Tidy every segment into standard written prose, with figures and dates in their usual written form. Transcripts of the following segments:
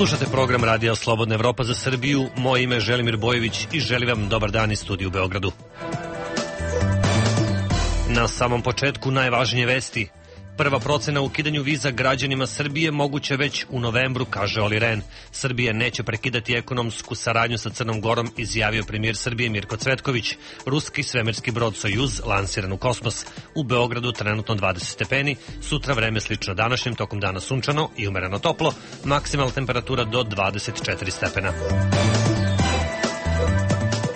Slušate program Radija Slobodna Evropa za Srbiju. Moje ime je Želimir Bojević i želim vam dobar dan iz studija u Beogradu. Na samom početku najvažnije vesti. Prva procena o ukidanju viza građanima Srbije moguće već u novembru, kaže Oli Rehn. Srbija neće prekidati ekonomsku saradnju sa Crnom Gorom, izjavio premijer Srbije Mirko Cvetković. Ruski svemirski brod Sojuz lansiran u kosmos. U Beogradu trenutno 20 stepeni, sutra vreme slično današnjem, tokom dana sunčano i umereno toplo, maksimalna temperatura do 24 stepena.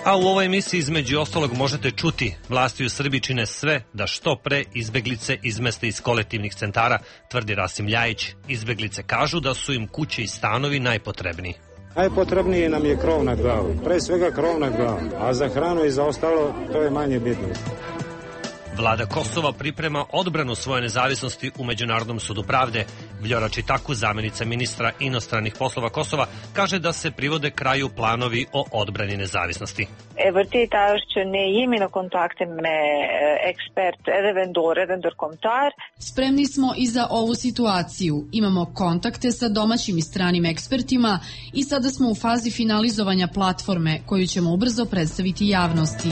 A u ovoj emisiji između ostalog možete čuti: vlasti u Srbiji čine sve da što pre izbeglice izmeste iz kolektivnih centara, tvrdi Rasim Ljajić. Izbeglice kažu da su im kuće i stanovi najpotrebniji. Najpotrebnije nam je krov nad glavom, pre svega krov nad glavom, a za hranu i za ostalo to je manje bitno. Vlada Kosova priprema odbranu svoje nezavisnosti u Međunarodnom sudu pravde. Vljora Čitaku, zamenica ministra inostranih poslova Kosova, kaže da se privode kraju planovi o odbrani nezavisnosti. Spremni smo i za ovu situaciju. Imamo kontakte sa domaćim i stranim ekspertima i sada smo u fazi finalizovanja platforme koju ćemo ubrzo predstaviti javnosti.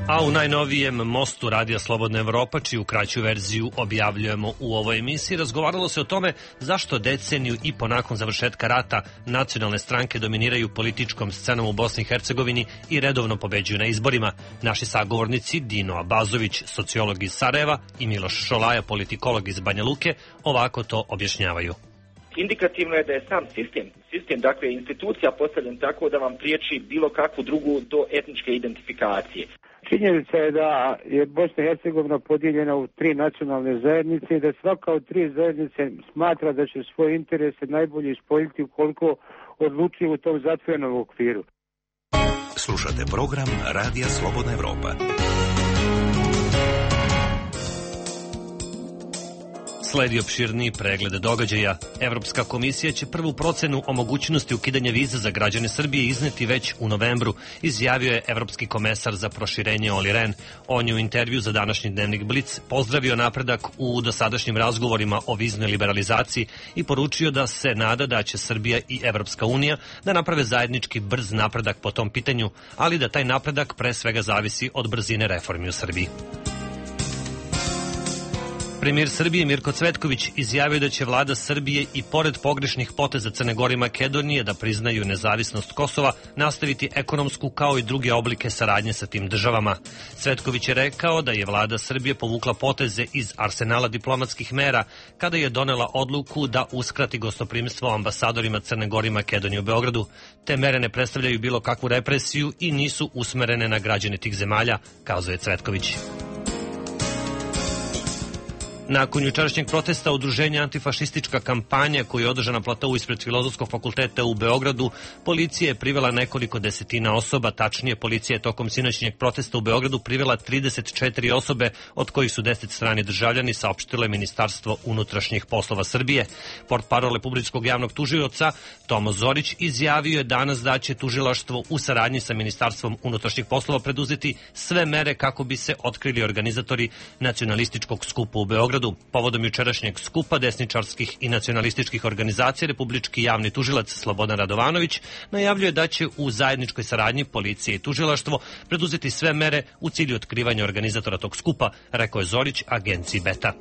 A u najnovijem mostu Radija Slobodna Evropa, čiju kraću verziju objavljujemo u ovoj emisiji, razgovaralo se o tome zašto deceniju i po nakon završetka rata nacionalne stranke dominiraju političkom scenom u Bosni i Hercegovini i redovno pobeđuju na izborima. Naši sagovornici Dino Abazović, sociolog iz Sarajeva, i Miloš Šolaja, politikolog iz Banja Luke, ovako to objašnjavaju. Indikativno je da je sam sistem, dakle institucija postavljen tako da vam priječi bilo kakvu drugu do etničke identifikacije. Činjenica je da je Bosna i Hercegovina podijeljena u 3 nacionalne zajednice i da svaka od 3 zajednice smatra da će svoje interese najbolje ispoljiti ukoliko odlučuje u tom zatvorenom okviru. Slušate program Radija Slobodna Evropa. Sledi opširniji pregled događaja. Evropska komisija će prvu procenu o mogućnosti ukidanja viza za građane Srbije izneti već u novembru, izjavio je evropski komesar za proširenje Oli Rehn. On je u intervju za današnji dnevnik Blic pozdravio napredak u dosadašnjim razgovorima o viznoj liberalizaciji i poručio da se nada da će Srbija i Evropska unija da naprave zajednički brz napredak po tom pitanju, ali da taj napredak pre svega zavisi od brzine reformi u Srbiji. Premijer Srbije Mirko Cvetković izjavio da će vlada Srbije i pored pogrešnih poteza Crne Gore i Makedonije da priznaju nezavisnost Kosova nastaviti ekonomsku kao i druge oblike saradnje sa tim državama. Cvetković je rekao da je vlada Srbije povukla poteze iz arsenala diplomatskih mera kada je donela odluku da uskrati gostoprimstvo ambasadorima Crne Gore i Makedonije u Beogradu. Te mere ne predstavljaju bilo kakvu represiju i nisu usmerene na građane tih zemalja, kazao je Cvetković. Nakon jučerašnjeg protesta udruženja Antifašistička kampanja koja je održana na platou ispred Filozofskog fakulteta u Beogradu, policija je privela nekoliko desetina osoba, tačnije policija je tokom sinoćnjeg protesta u Beogradu privela 34 osobe, od kojih su 10 strani državljani, saopštilo je Ministarstvo unutrašnjih poslova Srbije. Portparol Republičkog javnog tužioca Tomo Zorić izjavio je danas da će tužilaštvo u saradnji sa Ministarstvom unutrašnjih poslova preduzeti sve mere kako bi se otkrili organizatori nacionalističkog skupa u Beogradu. Povodom jučerašnjeg skupa desničarskih i nacionalističkih organizacija, republički javni tužilac Slobodan Radovanović najavljuje da će u zajedničkoj saradnji policije i tužilaštvo preduzeti sve mere u cilju otkrivanja organizatora tog skupa, rekao je Zorić agenciji Beta.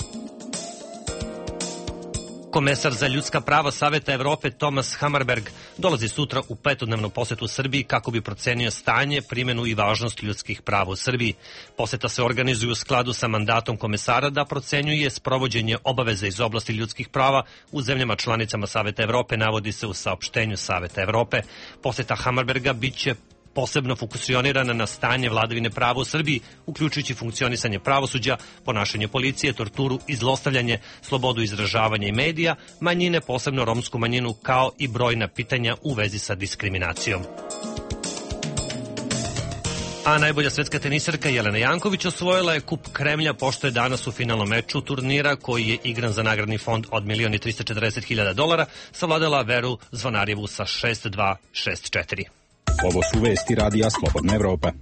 Komesar za ljudska prava Saveta Evrope Thomas Hammarberg dolazi sutra u 5-dnevnu posetu Srbiji kako bi procenio stanje, primenu i važnost ljudskih prava u Srbiji. Poseta se organizuje u skladu sa mandatom komesara da procenjuje sprovođenje obaveza iz oblasti ljudskih prava u zemljama članicama Saveta Evrope, navodi se u saopštenju Saveta Evrope. Poseta Hammarberga biće posebno fokusionirana na stanje vladavine prava u Srbiji, uključujući funkcionisanje pravosuđa, ponašanje policije, torturu i zlostavljanje, slobodu izražavanja i medija, manjine, posebno romsku manjinu, kao i brojna pitanja u vezi sa diskriminacijom. A najbolja svetska tenisarka Jelena Janković osvojila je kup Kremlja, pošto je danas u finalnom meču turnira koji je igran za nagradni fond od $1.340.000 savladala Veru Zvonarjevu sa 6-2, 6-4. Ovo su vesti Radija Slobodna Evropa.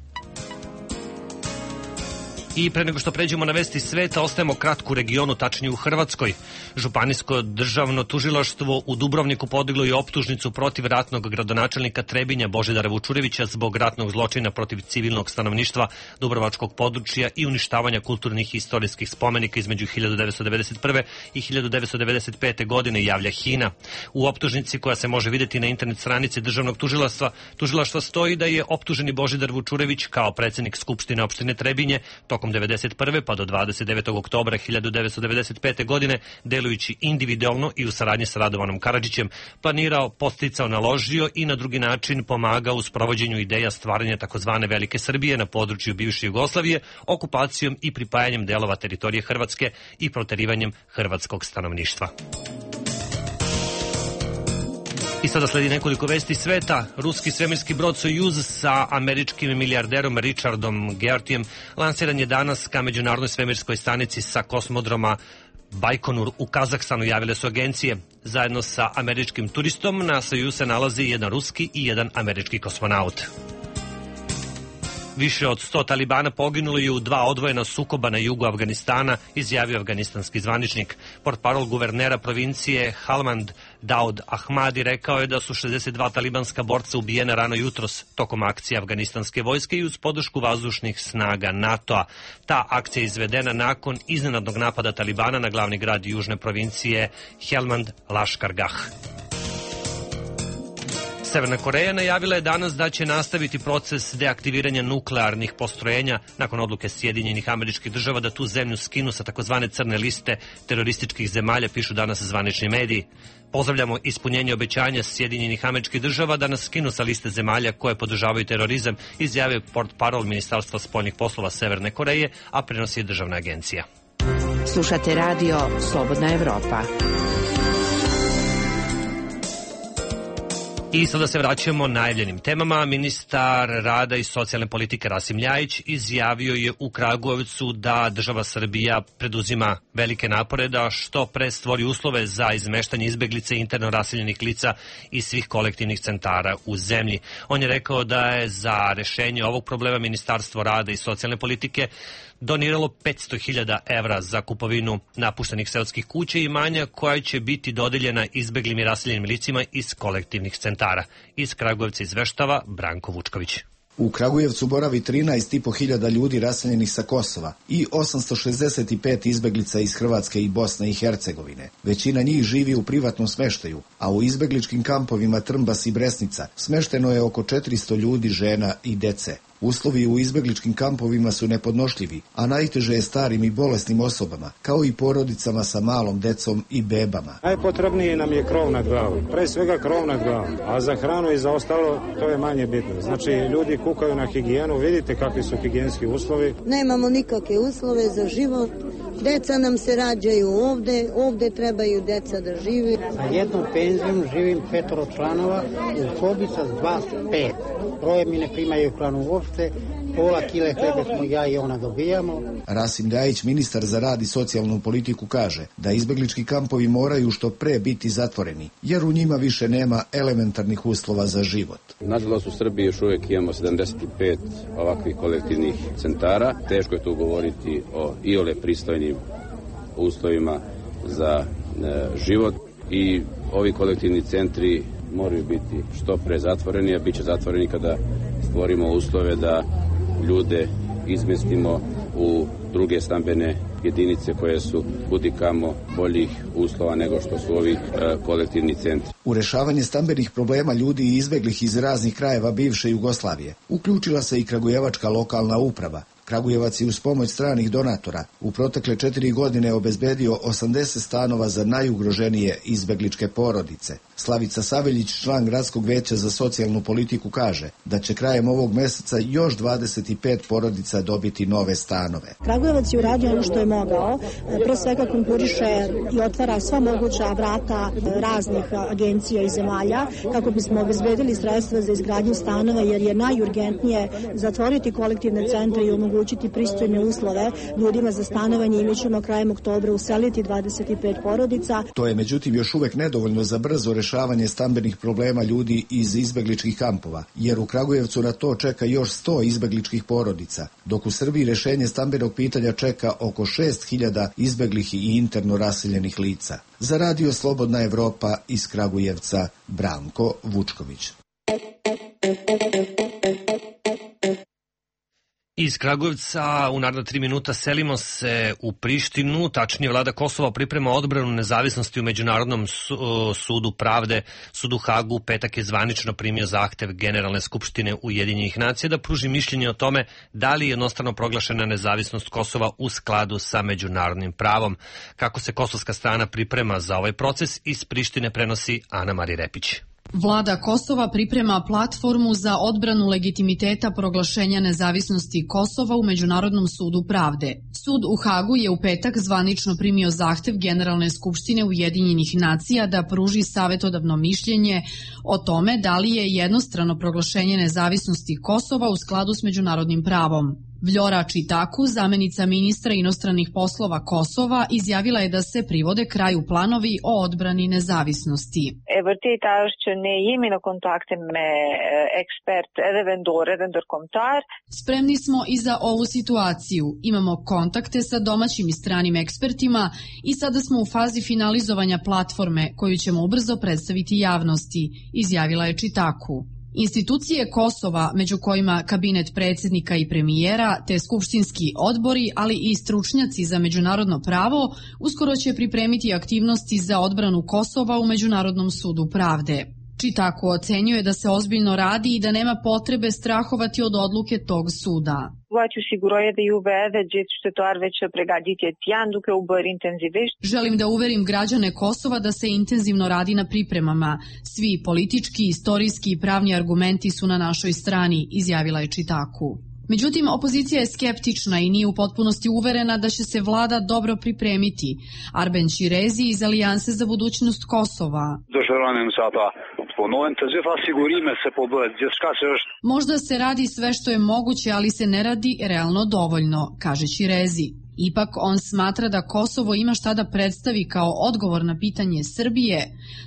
I pre nego što pređemo na vesti sveta, ostajemo kratko u regionu, tačnije u Hrvatskoj. Županijsko državno tužilaštvo u Dubrovniku podiglo je optužnicu protiv ratnog gradonačelnika Trebinja Božidara Vučurevića zbog ratnog zločina protiv civilnog stanovništva dubrovačkog područja i uništavanja kulturnih i istorijskih spomenika između 1991. i 1995. godine, javlja HINA. U optužnici, koja se može videti na internet stranici državnog tužilaštva, stoji da je optuženi Božidar Vučurević kao predsednik Skupštine opštine Trebinje tokom 1991. pa do 29. oktobra 1995. godine, delujući individualno i u saradnji sa Radovanom Karadžićem, planirao, podsticao, naložio i na drugi način pomagao u sprovođenju ideja stvaranja takozvane Velike Srbije na području bivše Jugoslavije, okupacijom i pripajanjem delova teritorije Hrvatske i proterivanjem hrvatskog stanovništva. I sada sledi nekoliko vesti sveta. Ruski svemirski brod Sojuz sa američkim milijarderom Richardom Geortijem lansiran je danas ka međunarodnoj svemirskoj stanici sa kosmodroma Bajkonur u Kazahstanu, javile su agencije. Zajedno sa američkim turistom na Sojuz se nalazi jedan ruski i jedan američki kosmonaut. Više od 100 talibana poginulo je u 2 odvojena sukoba na jugu Afganistana, izjavio afganistanski zvaničnik. Portparol guvernera provincije Helmand Daud Ahmadi rekao je da su 62 talibanska borca ubijena rano jutros tokom akcije afganistanske vojske i uz podršku vazdušnih snaga NATO-a. Ta akcija je izvedena nakon iznenadnog napada talibana na glavni grad južne provincije Helmand Lashkargah. Severna Koreja najavila je danas da će nastaviti proces deaktiviranja nuklearnih postrojenja nakon odluke Sjedinjenih Američkih Država da tu zemlju skinu sa takozvane crne liste terorističkih zemalja, pišu danas zvanični mediji. Pozdravljamo ispunjenje obećanja Sjedinjenih Američkih Država da nas skinu sa liste zemalja koje podržavaju terorizam, izjavio portparol Ministarstva spoljnih poslova Severne Koreje, a prenosi je državna agencija. Slušate radio Slobodna Evropa. I sada se vraćamo najavljenim temama. Ministar rada i socijalne politike Rasim Ljajić izjavio je u Kragujevcu da država Srbija preduzima velike napore da što pre stvori uslove za izmeštanje izbeglice interno raseljenih lica iz svih kolektivnih centara u zemlji. On je rekao da je za rešenje ovog problema Ministarstvo rada i socijalne politike doniralo 500.000 evra za kupovinu napuštenih seoskih kuća i imanja koja će biti dodeljena izbeglim i raseljenim licima iz kolektivnih centara. Iz Kragujevca izveštava Branko Vučković. U Kragujevcu boravi 13.500 ljudi raseljenih sa Kosova i 865 izbeglica iz Hrvatske i Bosne i Hercegovine. Većina njih živi u privatnom smeštaju, a u izbegličkim kampovima Trmbas i Bresnica smešteno je oko 400 ljudi, žena i dece. Uslovi u izbegličkim kampovima su nepodnošljivi, a najteže je starim i bolesnim osobama, kao i porodicama sa malom decom i bebama. Najpotrebnije nam je krov nad glavom, pre svega krov nad glavom, a za hranu i za ostalo to je manje bitno. Znači, ljudi kukaju na higijenu, vidite kakvi su higijenski uslovi. Nemamo nikakve uslove za život, deca nam se rađaju ovde trebaju deca da živi. Sa jednom penzijom živim 5 članova u sobi sa 2-5. Troje mi ne primaju hranu uopšte, pola kile hlebe smo ja i ona dobijamo. Rasim Ljajić, ministar za rad i socijalnu politiku, kaže da izbeglički kampovi moraju što pre biti zatvoreni, jer u njima više nema elementarnih uslova za život. Nažalost, u Srbiji još uvijek imamo 75 ovakvih kolektivnih centara. Teško je tu govoriti o iole pristojnim uslovima za život i ovi kolektivni centri moraju biti što pre zatvoreni, a bit će zatvoreni kada stvorimo uslove da ljude izmestimo u druge stambene jedinice koje su kudikamo boljih uslova nego što su ovi kolektivni centri. U rešavanje stambenih problema ljudi i izbeglih iz raznih krajeva bivše Jugoslavije uključila se i kragujevačka lokalna uprava. Kragujevac je uz pomoć stranih donatora u protekle 4 godine obezbedio 80 stanova za najugroženije izbegličke porodice. Slavica Saveljić, član Gradskog veća za socijalnu politiku, kaže da će krajem ovog meseca još 25 porodica dobiti nove stanove. Kragujevac je uradio ono što je mogao. Pre svega konkuriše i otvara sva moguća vrata raznih agencija i zemalja kako bismo obezbedili sredstva za izgradnju stanova, jer je najurgentnije zatvoriti kolektivne centre i omogućiti omogućiti pristojne uslove ljudima za stanovanje i mi ćemo krajem oktobra useliti 25 porodica. To je međutim još uvek nedovoljno za brzo rešavanje stambenih problema ljudi iz izbegličkih kampova, jer u Kragujevcu na to čeka još 100 izbegličkih porodica, dok u Srbiji rešenje stambenog pitanja čeka oko 6.000 izbeglih i interno raseljenih lica. Za Radio Slobodna Evropa iz Kragujevca, Branko Vučković. Iz Kragujevca u naredna 3 minuta selimo se u Prištinu, tačnije vlada Kosova priprema odbranu nezavisnosti u Međunarodnom sudu pravde. Sud u Hagu petak je zvanično primio zahtev Generalne skupštine Ujedinjenih nacija da pruži mišljenje o tome da li je jednostrano proglašena nezavisnost Kosova u skladu sa međunarodnim pravom. Kako se kosovska strana priprema za ovaj proces, iz Prištine prenosi Ana Mari Repić. Vlada Kosova priprema platformu za odbranu legitimiteta proglašenja nezavisnosti Kosova u Međunarodnom sudu pravde. Sud u Hagu je u petak zvanično primio zahtev Generalne skupštine Ujedinjenih nacija da pruži savetodavno mišljenje o tome da li je jednostrano proglašenje nezavisnosti Kosova u skladu s međunarodnim pravom. Vljora Čitaku, zamenica ministra inostranih poslova Kosova, izjavila je da se privode kraju planovi o odbrani nezavisnosti. Spremni smo i za ovu situaciju. Imamo kontakte sa domaćim i stranim ekspertima i sada smo u fazi finalizovanja platforme koju ćemo ubrzo predstaviti javnosti, izjavila je Čitaku. Institucije Kosova, među kojima kabinet predsjednika i premijera, te skupštinski odbori, ali i stručnjaci za međunarodno pravo, uskoro će pripremiti aktivnosti za odbranu Kosova u Međunarodnom sudu pravde. Čitaku ocenjuje da se ozbiljno radi i da nema potrebe strahovati od odluke tog suda. Želim da uverim građane Kosova da se intenzivno radi na pripremama. Svi politički, istorijski i pravni argumenti su na našoj strani, izjavila je Čitaku. Međutim, opozicija je skeptična i nije u potpunosti uverena da će se vlada dobro pripremiti. Arben Ćirezi iz Alijanse za budućnost Kosova. Možda se radi sve što je moguće, ali se ne radi realno dovoljno, kaže Ćirezi. Ipak on smatra da Kosovo ima šta da predstavi kao odgovor na pitanje Srbije.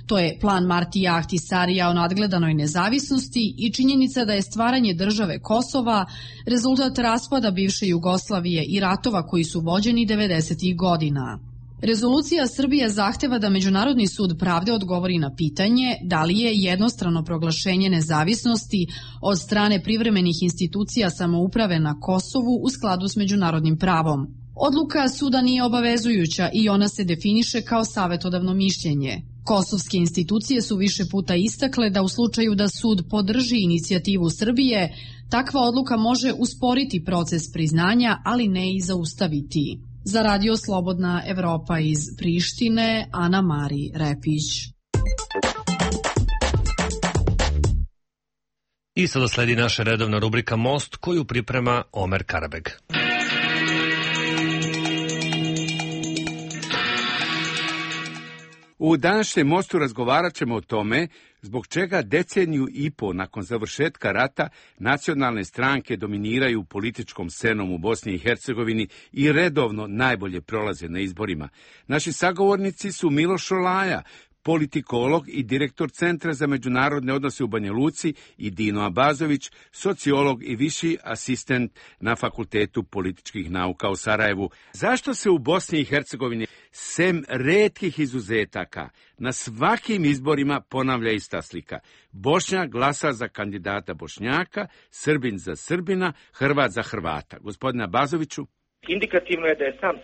To je plan Martija Ahtisarija o nadgledanoj nezavisnosti i činjenica da je stvaranje države Kosova rezultat raspada bivše Jugoslavije i ratova koji su vođeni 90. godina. Rezolucija Srbije zahteva da Međunarodni sud pravde odgovori na pitanje da li je jednostrano proglašenje nezavisnosti od strane privremenih institucija samouprave na Kosovu u skladu s međunarodnim pravom. Odluka suda nije obavezujuća i ona se definiše kao savetodavno mišljenje. Kosovske institucije su više puta istakle da u slučaju da sud podrži inicijativu Srbije, takva odluka može usporiti proces priznanja, ali ne i zaustaviti. Za Radio Slobodna Evropa iz Prištine, Ana Mari Repić. I sada sledi naša redovna rubrika Most, koju priprema Omer Karabeg. U današnjem Mostu razgovarat ćemo o tome zbog čega deceniju i po nakon završetka rata nacionalne stranke dominiraju političkom scenom u Bosni i Hercegovini i redovno najbolje prolaze na izborima. Naši sagovornici su Miloš Šolaja, politikolog i direktor Centra za međunarodne odnose u Banja Luci, i Dino Abazović, sociolog i viši asistent na Fakultetu političkih nauka u Sarajevu. Zašto se u Bosni i Hercegovini, sem retkih izuzetaka, na svakim izborima ponavlja ista slika? Bošnjak glasa za kandidata Bošnjaka, Srbin za Srbina, Hrvat za Hrvata. Gospodine Abazoviću? Indikativno je da je sam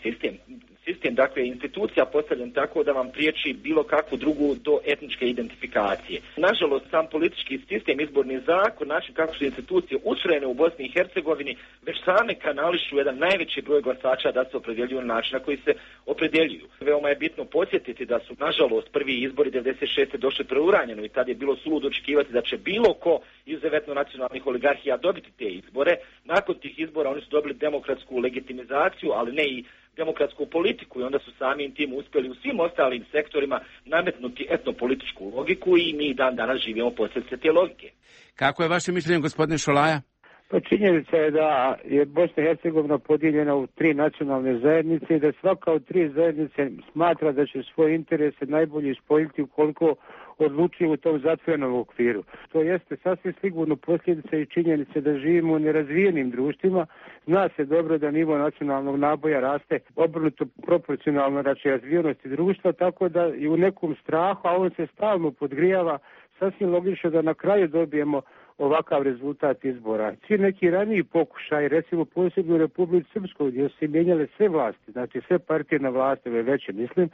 sistem, dakle institucija postavljen tako da vam priječi bilo kakvu drugu do etničke identifikacije. Nažalost, sam politički sistem, izborni zakon, način kako su institucije ustrojene u Bosni i Hercegovini, već same kanališu jedan najveći broj glasača da se opredjeljuju na način na koji se opredjeljuju. Veoma je bitno podsjetiti da su, nažalost, prvi izbori 96. došli preuranjeno i tad je bilo suludo očekivati da će bilo ko izuzetno nacionalnih oligarhija dobiti te izbore. Nakon tih izbora oni su dobili demokratsku legitimizaciju, ali ne i demokratsku politiku, i onda su samim tim uspjeli u svim ostalim sektorima nametnuti etnopolitičku logiku i mi dan danas živimo posljedice te logike. Kako je vaše mišljenje, gospodine Šolaja? Pa činjenica je da je Bosna i Hercegovina podijeljena u 3 nacionalne zajednice i da svaka od 3 zajednice smatra da će svoje interese najbolje ispoljiti ukoliko odlučuje u tom zatvorenom okviru. To jeste sasvim sigurno posljedica i činjenice da živimo u nerazvijenim društvima. Zna se dobro da nivo nacionalnog naboja raste obrnuto proporcionalno razvijenosti društva, tako da i u nekom strahu, a on se stalno podgrijava, sasvim logično da na kraju dobijemo ovakav rezultat izbora. Svi neki raniji pokušaj, recimo posebno u Republici Srpskoj, gdje su se mijenjale sve vlasti, znači sve partije na vlasti, veće mislim,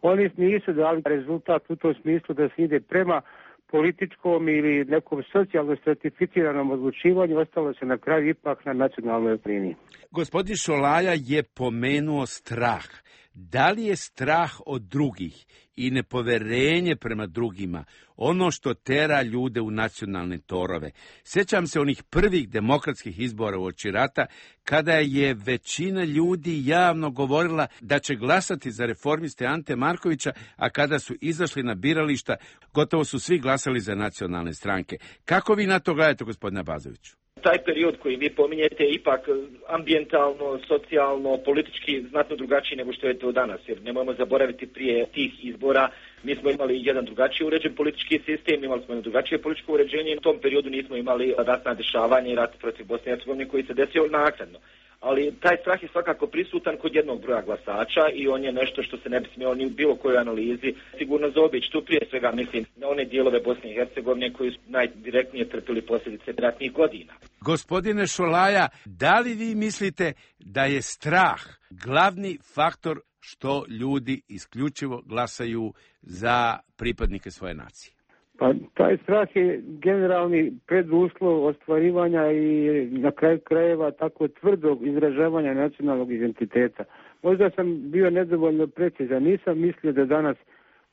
oni nisu dali rezultat u tom smislu da se ide prema političkom ili nekom socijalno stratificiranom odlučivanju, ostalo se na kraju ipak na nacionalnoj liniji. Gospodin Šolaja je pomenuo strah. Da li je strah od drugih i nepoverenje prema drugima ono što tera ljude u nacionalne torove? Sjećam se onih prvih demokratskih izbora uoči rata, kada je većina ljudi javno govorila da će glasati za reformiste Ante Markovića, a kada su izašli na birališta, gotovo su svi glasali za nacionalne stranke. Kako vi na to gledate, gospodine Abazoviću? Taj period koji vi pominjete je ipak ambijentalno, socijalno, politički znatno drugačiji nego što je to danas. Jer nemojmo zaboraviti, prije tih izbora mi smo imali jedan drugačiji uređen politički sistem, imali smo jedno drugačije političko uređenje i u tom periodu nismo imali ratna dešavanja i rat protiv Bosne i Hercegovine koji se desio naknadno. Ali taj strah je svakako prisutan kod jednog broja glasača i on je nešto što se ne bi smjelo ni u bilo kojoj analizi sigurno zaobići. Tu prije svega mislim na one dijelove Bosne i Hercegovine koji su najdirektnije trpili posljedice ratnih godina. Gospodine Šolaja, da li vi mislite da je strah glavni faktor što ljudi isključivo glasaju za pripadnike svoje nacije? Pa taj strah je generalni preduslov ostvarivanja i na kraju krajeva tako tvrdog izražavanja nacionalnog identiteta. Možda sam bio nedovoljno precizan, nisam mislio da danas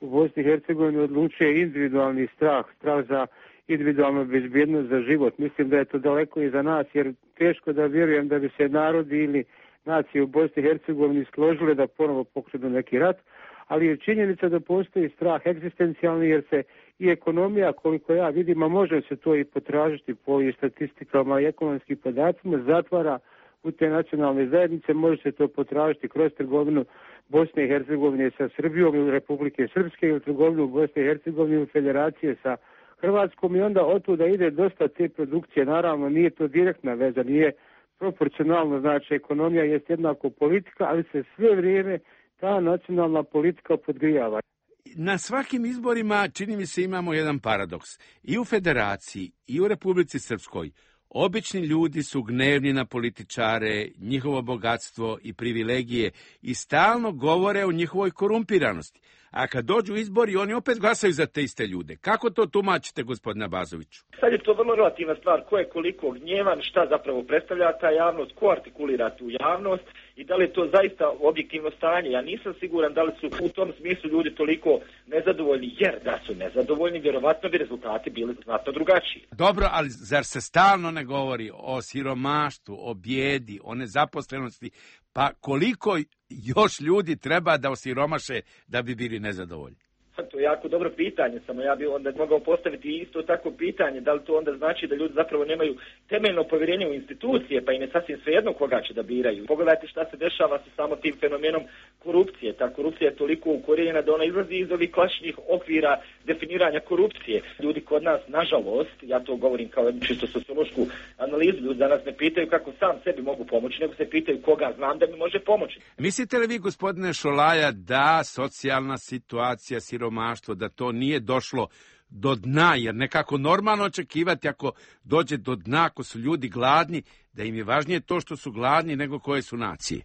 u Bosni i Hercegovini odlučuje individualni strah za individualnu bezbjednost za život. Mislim da je to daleko iza nas, jer teško da vjerujem da bi se narodi ili nacije u Bosni i Hercegovini složile da ponovo pokrenu neki rat, ali je činjenica da postoji strah egzistencijalni, jer se i ekonomija, koliko ja vidim, a može se to i potražiti po i statistikama i ekonomskim podacima, zatvara u te nacionalne zajednice, može se to potražiti kroz trgovinu Bosne i Hercegovine sa Srbijom ili Republike Srpske ili trgovinu Bosne i Hercegovine ili federacije sa Hrvatskom i onda od tuda ide dosta te produkcije. Naravno, nije to direktna veza, nije proporcionalno, znači ekonomija je jednako politika, ali se sve vrijeme ta nacionalna politika podgrijava. Na svakim izborima, čini mi se, imamo jedan paradoks. I u Federaciji, i u Republici Srpskoj, obični ljudi su gnevni na političare, njihovo bogatstvo i privilegije i stalno govore o njihovoj korumpiranosti. A kad dođu izbori, oni opet glasaju za te iste ljude. Kako to tumačite, gospodine Abazoviću? Sad je to vrlo relativna stvar. Ko je koliko gnjevan, šta zapravo predstavlja ta javnost, ko artikulira tu javnost i da li je to zaista objektivno stanje. Ja nisam siguran da li su u tom smislu ljudi toliko nezadovoljni, jer da su nezadovoljni, vjerovatno bi rezultati bili znatno drugačiji. Dobro, ali zar se stalno ne govori o siromaštvu, o bijedi, o nezaposlenosti? Pa koliko još ljudi treba da osiromaše da bi bili nezadovoljni? To je jako dobro pitanje, samo ja bih onda mogao postaviti isto tako pitanje, da li to onda znači da ljudi zapravo nemaju temeljno povjerenje u institucije, pa im je sasvim svejedno koga će da biraju. Pogledajte šta se dešava sa samo tim fenomenom korupcije. Ta korupcija je toliko ukorijenjena da ona izlazi iz ovih klasičnih okvira definiranja korupcije. Ljudi kod nas, nažalost, ja to govorim kao čisto sociološku analizu, ljudi danas ne pitaju kako sam sebi mogu pomoći, nego se pitaju koga znam da mi može pomoći. Mislite li vi, gospodine Šolaja, da socijalna situacija, siromaštvo, da to nije došlo do dna, jer nekako normalno očekivati ako dođe do dna, ako su ljudi gladni, da im je važnije to što su gladni nego koje su nacije?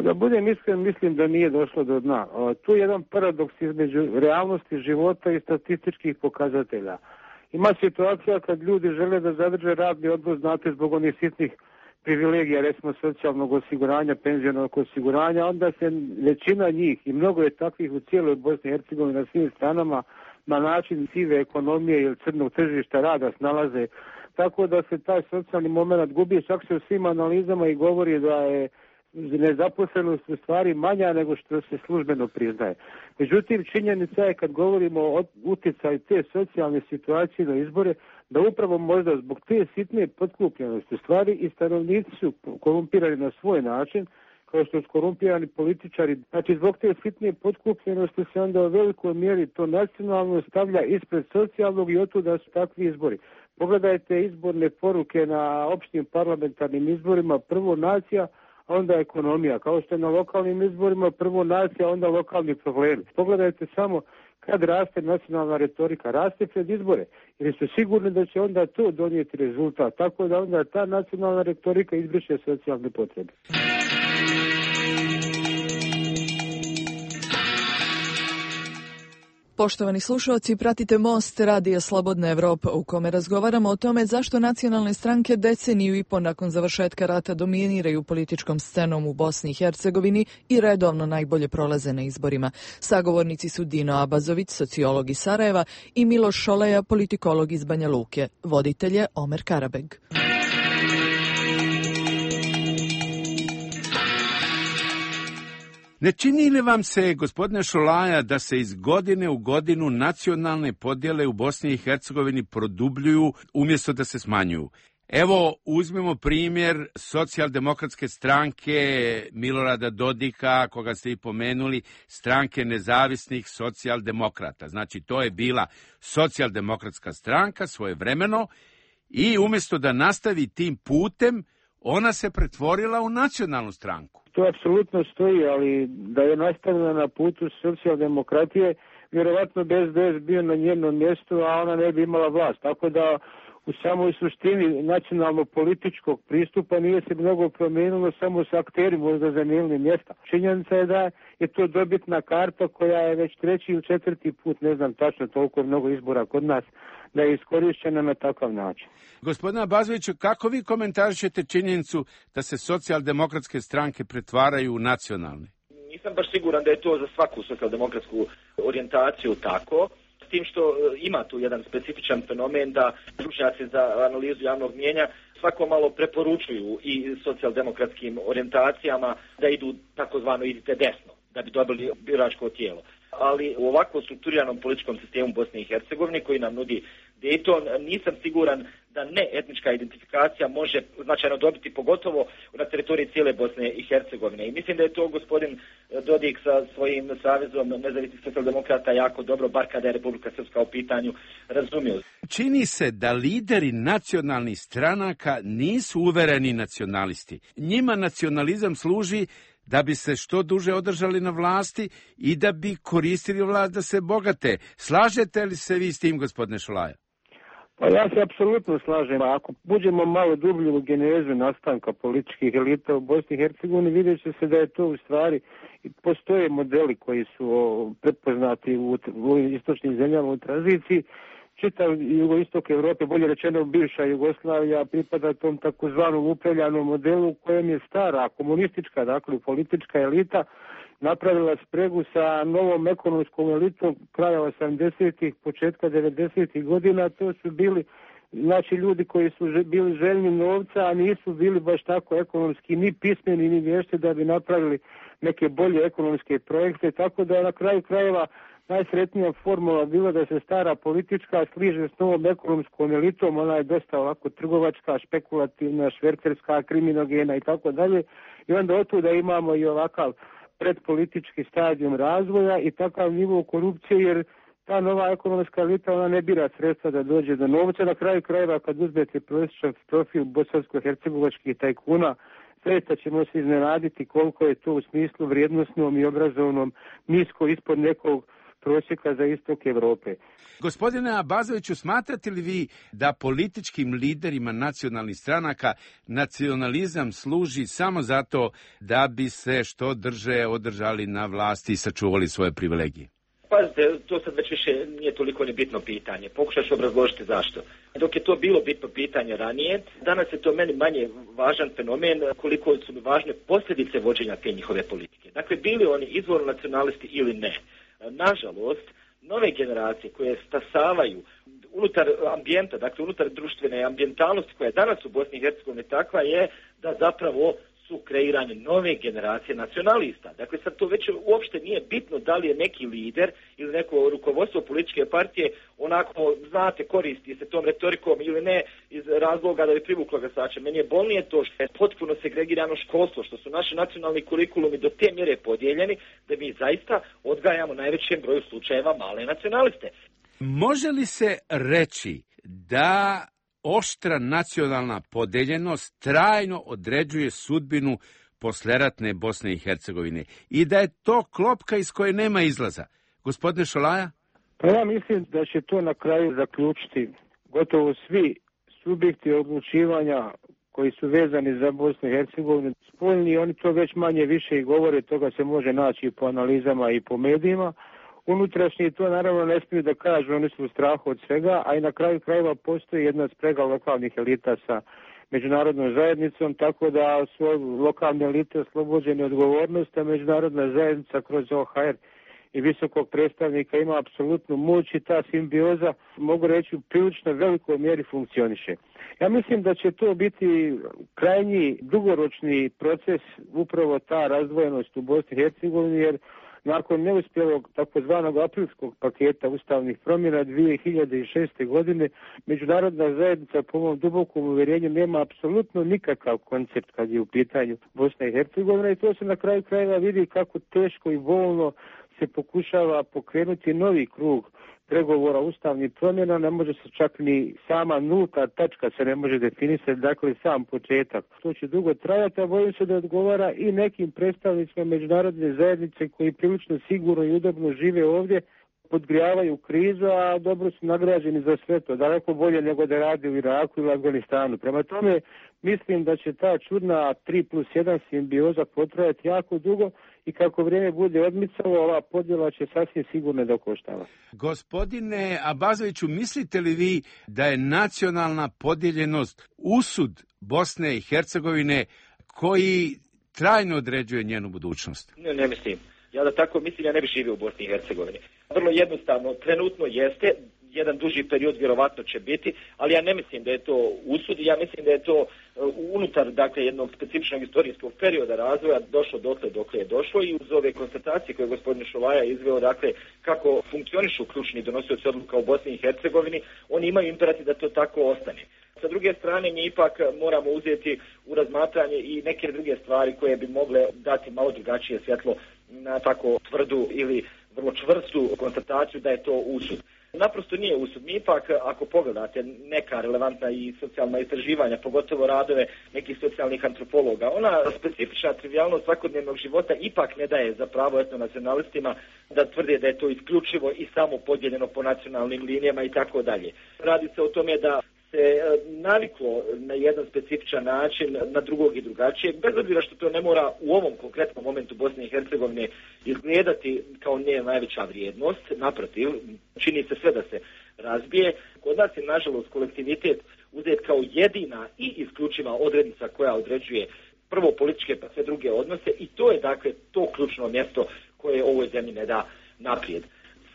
Da budem iskren, mislim da nije došlo do dna. Tu je jedan paradoks između realnosti života i statističkih pokazatelja. Ima situacija kad ljudi žele da zadrže radni odnos, znate, zbog onih sitnih privilegija, recimo socijalnog osiguranja, penzionog osiguranja, onda se većina njih, i mnogo je takvih u cijeloj Bosni i Hercegovini na svim stranama, na način sive ekonomije ili crnog tržišta rada snalaze, tako da se taj socijalni moment gubi. Čak se u svim analizama i govori da je nezaposlenost u stvari manja nego što se službeno priznaje. Međutim, činjenica je kad govorimo o utjecaju te socijalne situacije na izbore, da upravo možda zbog te sitne potkupljenosti stvari i stanovnici su korumpirani na svoj način, kao što su korumpirani političari. Znači, zbog te sitne potkupljenosti se onda u velikoj mjeri to nacionalno stavlja ispred socijalnog i otuda su takvi izbori. Pogledajte izborne poruke na opštim parlamentarnim izborima, prvo nacija, onda ekonomija. Kao što je na lokalnim izborima, prvo nacija, onda lokalni problemi. Pogledajte samo kad raste nacionalna retorika, raste pred izbore, jer su sigurni da će onda to donijeti rezultat, tako da onda ta nacionalna retorika izbriše socijalne potrebe. Poštovani slušalci, pratite Most Radija Slobodna Evropa u kome razgovaramo o tome zašto nacionalne stranke deceniju i po nakon završetka rata dominiraju političkom scenom u Bosni i Hercegovini i redovno najbolje prolaze na izborima. Sagovornici su Dino Abazović, sociolog iz Sarajeva, i Miloš Šoleja, politikolog iz Banja Luke. Voditelj je Omer Karabeg. Ne čini li vam se, gospodine Šolaja, da se iz godine u godinu nacionalne podjele u Bosni i Hercegovini produbljuju umjesto da se smanjuju? Evo, uzmemo primjer socijaldemokratske stranke Milorada Dodika, koga ste i pomenuli, stranke nezavisnih socijaldemokrata. Znači, to je bila socijaldemokratska stranka svojevremeno i umjesto da nastavi tim putem, ona se pretvorila u nacionalnu stranku. To apsolutno stoji, ali da je nastavljena na putu socijaldemokratije, vjerovatno bi SDS bio na njenom mjestu, a ona ne bi imala vlast. Tako da u samoj suštini nacionalno-političkog pristupa nije se mnogo promijenilo, samo su akteri možda zamijenili mjesta. Činjenica je da je to dobitna karta koja je već 3. ili 4. put, ne znam tačno toliko mnogo izbora kod nas, da je iskorišćena na takav način. Gospodine Abazoviću, kako vi komentarišete činjenicu da se socijaldemokratske stranke pretvaraju u nacionalne? Nisam baš siguran da je to za svaku socijaldemokratsku orijentaciju tako, s tim što ima tu jedan specifičan fenomen da stručnjaci za analizu javnog mnijenja svako malo preporučuju i socijaldemokratskim orijentacijama da idu takozvano idite desno, da bi dobili biračko tijelo. Ali u ovako strukturiranom političkom sistemu Bosne i Hercegovine koji nam nudi Dayton, nisam siguran da ne etnička identifikacija može značajno dobiti, pogotovo na teritoriji cijele Bosne i Hercegovine. I mislim da je to gospodin Dodik sa svojim savezom nezavisnih socijaldemokrata jako dobro, bar kada je Republika Srpska u pitanju, razumio. Čini se da lideri nacionalnih stranaka nisu uvereni nacionalisti. Njima nacionalizam služi da bi se što duže održali na vlasti i da bi koristili vlast da se bogate. Slažete li se vi s tim, gospodine Šolaja? Pa ja se apsolutno slažem. Ako buđemo malo dublje u genezu nastanka političkih elita u Bosni i Hercegovini, vidjet će se da je to u stvari, postoje modeli koji su prepoznati u istočnim zemljama u tranziciji. Čitav jugoistok Evrope, bolje rečeno bivša Jugoslavija, pripada tom takozvanom upravljanom modelu u kojem je stara komunistička, dakle politička elita, napravila spregu sa novom ekonomskom elitom kraja 80-ih, početka 90-ih godina. To su bili ljudi koji su bili željni novca, a nisu bili baš tako ekonomski ni pismeni ni vješti da bi napravili neke bolje ekonomske projekte, tako da na kraju krajeva najsretnija formula bila da se stara politička sliže s novom ekonomskom elitom, ona je dosta ovako trgovačka, špekulativna, švercerska, kriminogena i tako dalje. I onda otuda imamo i ovakav predpolitički stadijum razvoja i takav nivo korupcije, jer ta nova ekonomska elita, ona ne bira sredstva da dođe do novca. Na kraju krajeva kad uzmete prosječan profil bosansko-hercegovačkih tajkuna, zaista ćemo se iznenaditi koliko je to u smislu vrijednosnom i obrazovnom nisko ispod nekog prosjeka za istok Evrope. Gospodine Abazoviću, smatrate li vi da političkim liderima nacionalnih stranaka nacionalizam služi samo zato da bi se što drže održali na vlasti i sačuvali svoje privilegije? Pazite, to sad već više nije toliko ni bitno pitanje. Pokušat ću obrazložiti zašto. Dok je to bilo bitno pitanje ranije, danas je to meni manje važan fenomen koliko su mi važne posljedice vođenja te njihove politike. Dakle, bili oni izvorno nacionalisti ili ne. Nažalost, nove generacije koje stasavaju unutar ambijenta, dakle unutar društvene ambijentalnosti koja je danas u Bosni i Hercegovini takva je da zapravo su kreiranje nove generacije nacionalista. Dakle, sad to već uopšte nije bitno da li je neki lider ili neko rukovodstvo političke partije onako, znate, koristi se tom retorikom ili ne iz razloga da bi privuklo glasače. Meni je bolnije to što je potpuno segregirano školstvo, što su naši nacionalni kurikulumi do te mjere podijeljeni da mi zaista odgajamo najvećem broju slučajeva male nacionaliste. Može li se reći da oštra nacionalna podeljenost trajno određuje sudbinu posleratne Bosne i Hercegovine i da je to klopka iz koje nema izlaza? Gospodine Šolaja? Pa ja mislim da će to na kraju zaključiti gotovo svi subjekti odlučivanja koji su vezani za Bosnu i Hercegovinu. Spoljni, oni to već manje više i govore, toga se može naći po analizama i po medijima. Unutrašnji to naravno ne smiju da kažu, oni su u strahu od svega, a i na kraju krajeva postoji jedna sprega lokalnih elita sa međunarodnom zajednicom, tako da su lokalne elite oslobođene odgovornosti, a međunarodna zajednica kroz OHR i visokog predstavnika ima apsolutnu moć i ta simbioza, mogu reći, u prilično velikoj mjeri funkcioniše. Ja mislim da će to biti krajnji dugoročni proces, upravo ta razdvojenost u Bosni i Hercegovini, jer nakon neuspjelog takozvanog aprilskog paketa ustavnih promjena 2006. godine, međunarodna zajednica po mom dubokom uvjerenju nema apsolutno nikakav koncept kad je u pitanju Bosna i Hercegovina i to se na kraju krajeva vidi kako teško i bolno se pokušava pokrenuti novi krug pregovora ustavnih promjena, ne može se čak ni sama nulta tačka se ne može definisati, dakle sam početak. To će dugo trajati, a bojim se da odgovara i nekim predstavnicima međunarodne zajednice koji prilično sigurno i udobno žive ovdje, podgrijavaju krizu, a dobro su nagrađeni za sve to, daleko bolje nego da radi u Iraku ili Afganistanu. Prema tome, mislim da će ta čudna 3+1 simbioza potrajati jako dugo i kako vrijeme bude odmicalo, ova podjela će sasvim sigurno da koštava. Gospodine Abazoviću, mislite li vi da je nacionalna podijeljenost usud Bosne i Hercegovine koji trajno određuje njenu budućnost? Ne mislim. Ja da tako mislim, ja ne bih živio u Bosni i Hercegovini. Vrlo jednostavno, trenutno jeste, jedan duži period vjerovatno će biti, ali ja ne mislim da je to usud, ja mislim da je to unutar, dakle, jednog specifičnog istorijskog perioda razvoja došlo dokle je došlo i uz ove konstatacije koje je gospodin Šolaja izveo, dakle, kako funkcionišu ključni donosioci odluka u Bosni i Hercegovini, oni imaju imperativ da to tako ostane. Sa druge strane, mi ipak moramo uzeti u razmatranje i neke druge stvari koje bi mogle dati malo drugačije svjetlo na tako tvrdu ili vrlo čvrstu konstataciju da je to usud. Naprosto nije usud. Mi ipak, ako pogledate neka relevantna i socijalna istraživanja, pogotovo radove nekih socijalnih antropologa, ona specifična trivijalnost svakodnevnog života ipak ne daje za pravo etnonacionalistima da tvrde da je to isključivo i samo podijeljeno po nacionalnim linijama i tako dalje. Radi se o tome da se naviklo na jedan specifičan način, na drugog i drugačijeg, bez obzira što to ne mora u ovom konkretnom momentu Bosne i Hercegovine izgledati kao nje najveća vrijednost, naprotiv, čini se sve da se razbije. Kod nas je, nažalost, kolektivitet uzet kao jedina i isključiva odrednica koja određuje prvo političke pa sve druge odnose i to je, dakle, to ključno mjesto koje ovoj zemlji ne da naprijed.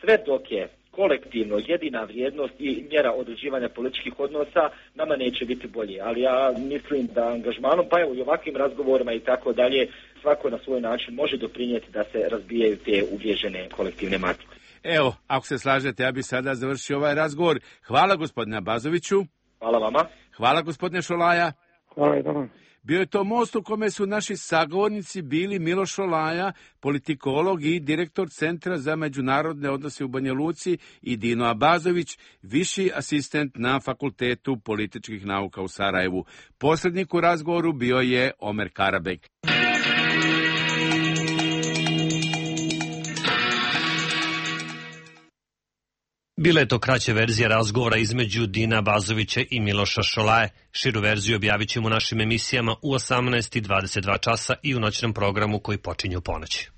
Sve dok je kolektivno jedina vrijednost i mjera određivanja političkih odnosa, nama neće biti bolje. Ali ja mislim da angažmanom, pa evo i ovakvim razgovorima i tako dalje, svako na svoj način može doprinijeti da se razbijaju te uvježene kolektivne matrice. Evo, ako se slažete, ja bih sada završio ovaj razgovor. Hvala gospodine Abazoviću. Hvala vama. Hvala gospodine Šolaja. Hvala i vama. Bio je to most u kome su naši sagovornici bili Miloš Šolaja, politikolog i direktor Centra za međunarodne odnose u Banja Luci, i Dino Abazović, viši asistent na Fakultetu političkih nauka u Sarajevu. Posrednik u razgovoru bio je Omer Karabek. Bila je to kraća verzija razgovora između Dina Abazovića i Miloša Šolaje. Širu verziju objavit ćemo u našim emisijama u 18:22 časa i u noćnom programu koji počinje u ponoći.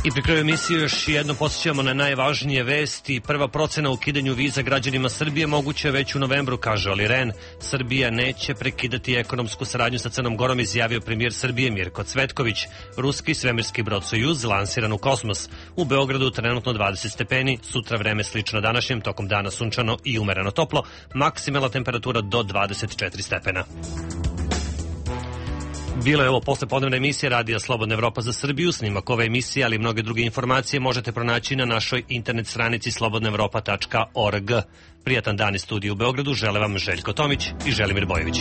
I pri kraju emisije još jedno podsjećamo na najvažnije vesti. Prva procena o ukidanju viza građanima Srbije moguće već u novembru, kaže Oli Rehn. Srbija neće prekidati ekonomsku saradnju sa Crnom Gorom, izjavio premijer Srbije Mirko Cvetković. Ruski svemirski brod Sojuz lansiran u kosmos. U Beogradu trenutno 20 stepeni, sutra vreme slično današnjem, tokom dana sunčano i umereno toplo, maksimalna temperatura do 24 stepena. Bilo je ovo poslepodnevna emisija Radija Slobodna Evropa za Srbiju. Snimak ove emisije, ali i mnoge druge informacije možete pronaći na našoj internet stranici slobodnaevropa.org. Prijatan dan iz studija u Beogradu žele vam Željko Tomić i Želimir Bojović.